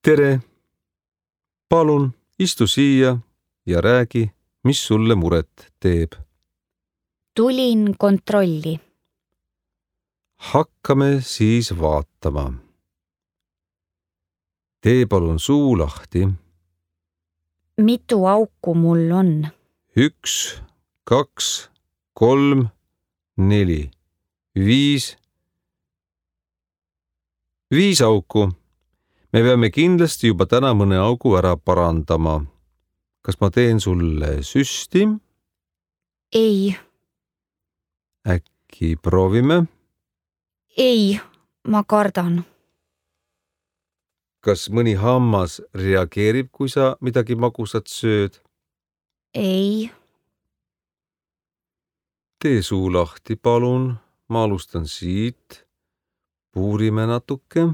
Tere! Palun istu siia ja räägi, mis sulle muret teeb. Tulin kontrolli. Hakkame siis vaatama. Tee palun suu lahti. Mitu auku mul on? 1, 2, 3, 4, 5. 5 auku. Me peame kindlasti juba täna mõne augu ära parandama. Kas ma teen sulle süsti? Ei. Äkki proovime? Ei, ma kardan. Kas mõni hammas reageerib, kui sa midagi magusat sööd? Ei. Tee suu lahti, palun. Ma alustan siit. Puurime natuke.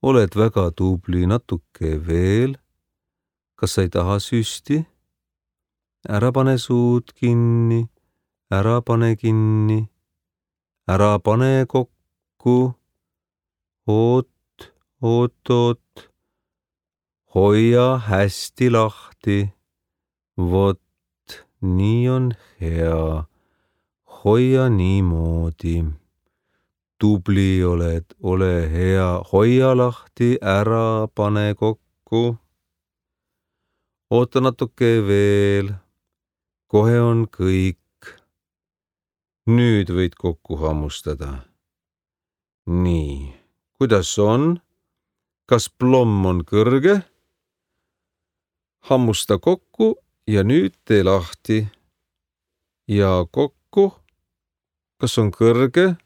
Oled väga tubli, natuke veel. Kas sa ei taha süsti? Ära pane suud kinni. Ära pane kinni. Ära pane kokku. Oot. Hoia hästi lahti. Vot, nii on hea. Hoia niimoodi. Tubli oled, ole hea. Hoia lahti, ära pane kokku. Oota natuke veel. Kohe on kõik. Nüüd võid kokku hammustada. Nii, kuidas on? Kas plomm on kõrge? Hammusta kokku ja nüüd tee lahti. Ja kokku. Kas on kõrge?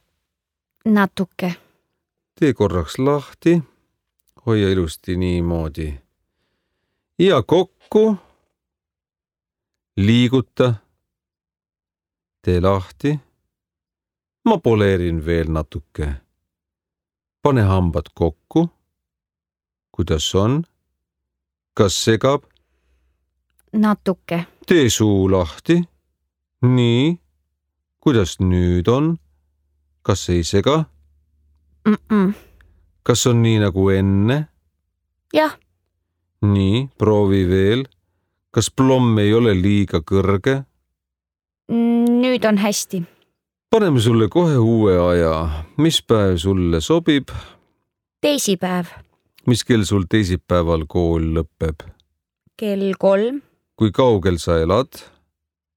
Natuke. Tee korraks lahti. Hoia ilusti niimoodi. Ja kokku. Liiguta. Tee lahti. Ma poleerin veel natuke. Pane hambad kokku. Kuidas on? Kas segab? Natuke. Tee suu lahti. Nii. Kuidas nüüd on? Kas ei sega? Kas on nii nagu enne? Jah. Nii, proovi veel. Kas plomm ei ole liiga kõrge? Nüüd on hästi. Paneme sulle kohe uue aja. Mis päev sulle sobib? Teisipäev. Mis kell sul teisipäeval kool lõpeb? Kell 3. Kui kaugel sa elad?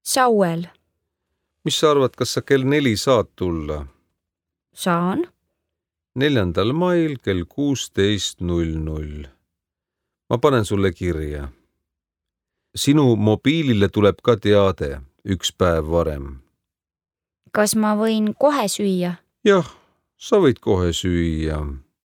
Sauel. Mis sa arvad, kas sa kell 4 saad tulla? Saan. 4. mail kell 16:00. Ma panen sulle kirja. Sinu mobiilile tuleb ka teade 1 päev varem. Kas ma võin kohe süüa? Jah, sa võid kohe süüa.